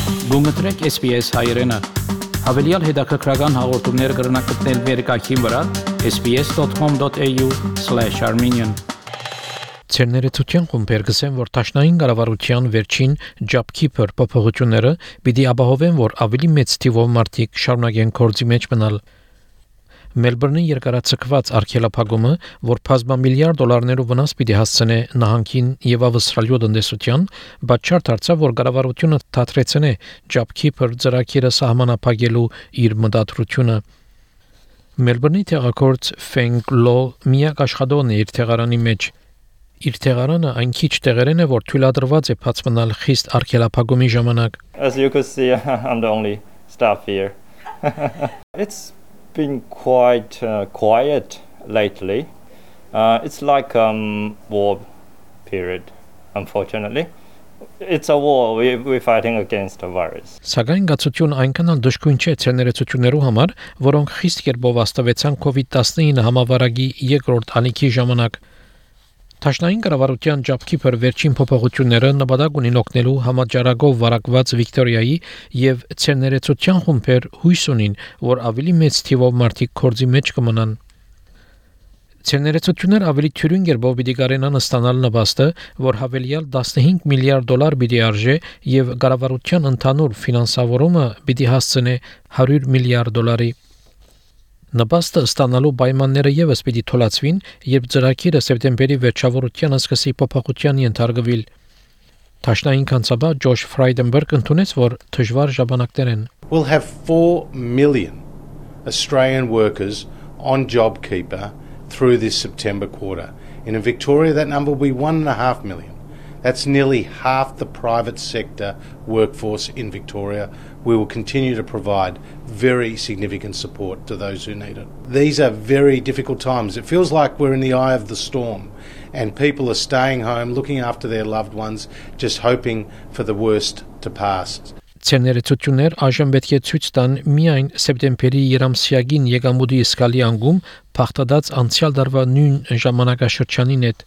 Գումտրեք SPS հայրենը, հավելյալ հետաքրքրական հաղորդումներ կրնակցնել վերկայքին վրա sbs.com.au/armenian Ցերներեցության խումբեր գսեն, որ տաշնային կառավարության վերջին JobKeeper փոփոխությունները պիտի ապահովեն, որ ավելի մեծ թիվով մարդիկ շարունակեն գործի մեջ մնալ։ Մելբուրնի երկարացկված արգելափակումը, որ բազմամիլիարդ դոլարներով վնաս պիտի հասցնե նահանգին եւ ավստրալիա տնտեսության, բացառ դարձավ, որ կառավարությունը դադրեցնե JobKeeper ծրագիրը սահմանափակելու իր մտադրությունը։ Մելբուրնի տեղակորձ Feng Lo միակ աշխատողն է իր տեղարանի մեջ։ Իր տեղարանը այն քիչ տեղերեն է, որ թույլատրված է բաց մնալ խիստ արգելափակումի ժամանակ։ As you could see, I'm the only staff here. It's been quite quiet lately. It's like war period, unfortunately. It's a war. We're fighting against a virus. Սակայն գացություն այնքան էլ դժգույն չէ ցերներեցություններու համար, որոնք խիստ կերպով աստավեցան COVID-19 համավարակի երկրորդ ալիքի ժամանակ։ Տաշնային կառավարության JobKeeper վերջին փոփոխությունները նպատակ ունին օգնելու համաճարակով վարակված Վիկտորիայի եւ ցերներեցության խումբեր հույս ունին, որ ավելի մեծ թիվով մարդիկ գործի մեջ կմնան։ Ցերներեցություններ ավելի թյուրին կերպով պիտի կարենան ստանալ նպաստը, որ հավելյալ 15 միլիարդ դոլար պիտի արժե եւ կառավարության ընդհանուր ֆինանսավորումը պիտի հասցնե 100 միլիարդ դոլարի։ Նպաստը ստանալու պայմանները եւս պիտի թույլատրվին, երբ ծրագիրը սեպտեմբերի վերջավորությանը սկսի փոփոխության ենթարկվել։ Տաշնային կանցաբար Ջոշ Ֆրայդենբերգ ընդունեց, որ դժվար ժամանակներ են։ We'll have 4 million Australian workers on JobKeeper through this September quarter. In Victoria, that number will be 1.5 million. That's nearly half the private sector workforce in Victoria. We will continue to provide very significant support to those who need it. These are very difficult times. It feels like we're in the eye of the storm and people are staying home, looking after their loved ones, just hoping for the worst to pass. Ցերներեցություններ այժմ պետք է ցույց տան միայն սեպտեմբերի երամսյակին եկամուտի սկալի անգում փախտած անցյալ դարվա նույն ժամանակաշրջանին հետ։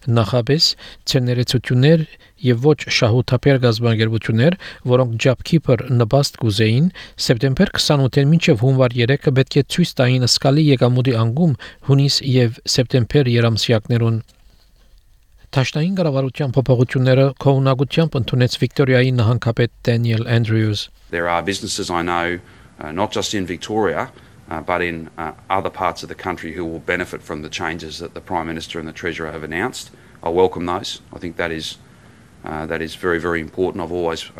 Նախապես ցերներեցություններ եւ ոչ շահութաբեր գազբանգերություններ, որոնք JobKeeper նպաստ կուզեին, սեպտեմբեր 28-ին մինչեւ հունվար 3-ը պետք է ցույց տային սկալի եկամուտի անգում հունիս եւ սեպտեմբեր երամսյակներուն։ Տաշնային կառավարության փոփոխությունները կողմնակությամբ ընդունեց Վիկտորիայի նահանգապետ Daniel Andrews. There are businesses I know, not just in Victoria, but in other parts of the country who will benefit from the changes that the Prime Minister and the Treasurer have announced. I welcome those. I think that is very, very important. I've always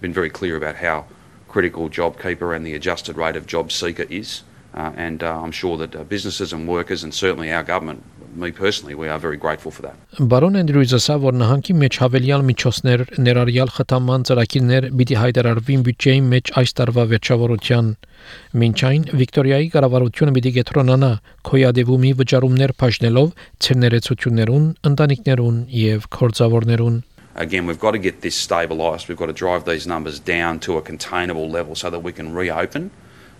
been very clear about how critical JobKeeper and the adjusted rate of job seeker is. And I'm sure that businesses and workers and certainly our government, me personally, we are very grateful for that. Բարոն Andrews-ը ասա, որ նահանգի մեջ հավելյալ միջոցներ ներառյալ խթանման ծրագիրներ պիտի հայտարարվին բյուջեի մեջ այս տարվա վերջավորության։ Մինչ այն Վիկտորիայի կառավարությունը պիտի կենտրոնանա քոյադևումի վճարումներ բաժնելով ցերներեցություններուն, ընտանիքներուն եւ կորձավորներուն։ Again, we've got to get this stabilised. We've got to drive these numbers down to a containable level so that we can reopen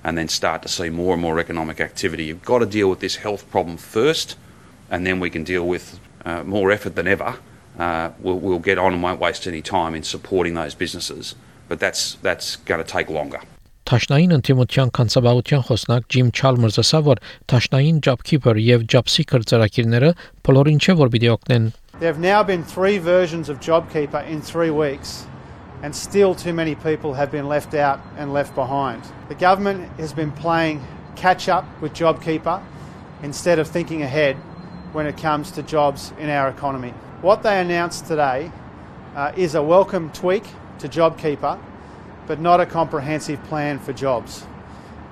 and then start to see more and more economic activity. You've got to deal with this health problem first, and then we can deal with more effort than ever. We'll get on and won't waste any time in supporting those businesses, but that's going to take longer. Տաշնային ընտիմության կանցաբաղության խոսնակ Jim Chalmers ասա, որ Տաշնային JobKeeper եւ JobSeeker ծրագիրները բոլորին չէ որ պիտի օգնեն։ There have now been 3 versions of JobKeeper in 3 weeks, and still too many people have been left out and left behind. The government has been playing catch up with JobKeeper instead of thinking ahead when it comes to jobs in our economy. What they announced today is a welcome tweak to JobKeeper, but not a comprehensive plan for jobs.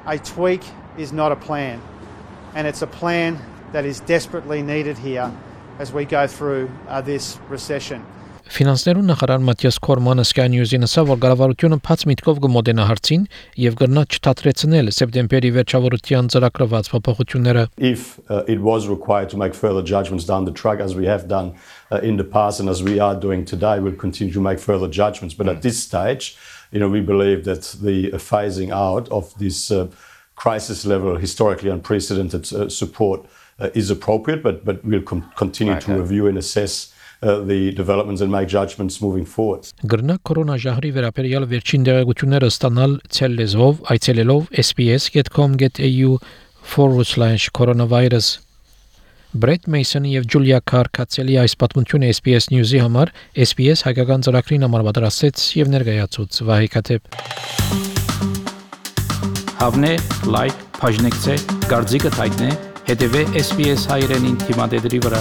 A tweak is not a plan, and it's a plan that is desperately needed here as we go through this recession. Ֆինանսներուն նախարար Մաթիաս Քորմանը Sky News-ին ասավ, որ կառավարությունը բաց միտքով կմոտենա հարցին եւ կգնա չթատրեցնել սեպտեմբերի վերջավորության ծրագրված փոփոխությունները. If it was required to make further judgments down the track, as we have done in the past and as we are doing today, we'll continue to make further judgments. But at this stage, we believe that the phasing out of this crisis level, historically unprecedented support is appropriate, but we'll continue to review and assess the developments and make judgments moving forward. Գրնա կորոնաժահրի վերաբերյալ վերջին տեղեկությունները ստանալ ցել լեզվով այցելելով sbs.com.au/coronavirus Brett Mason եւ Julia Carr-Katzeli այս պատմությունը SBS News-ի համար SBS հայկական ծրագրին համար պատրաստեց եւ ներկայացուց Վահե Քաթեփ Հավնե, լայք, բաժնեկցե, դարձիկը թայտնե, հետեւե SBS հայրենին թիմադեդի վրա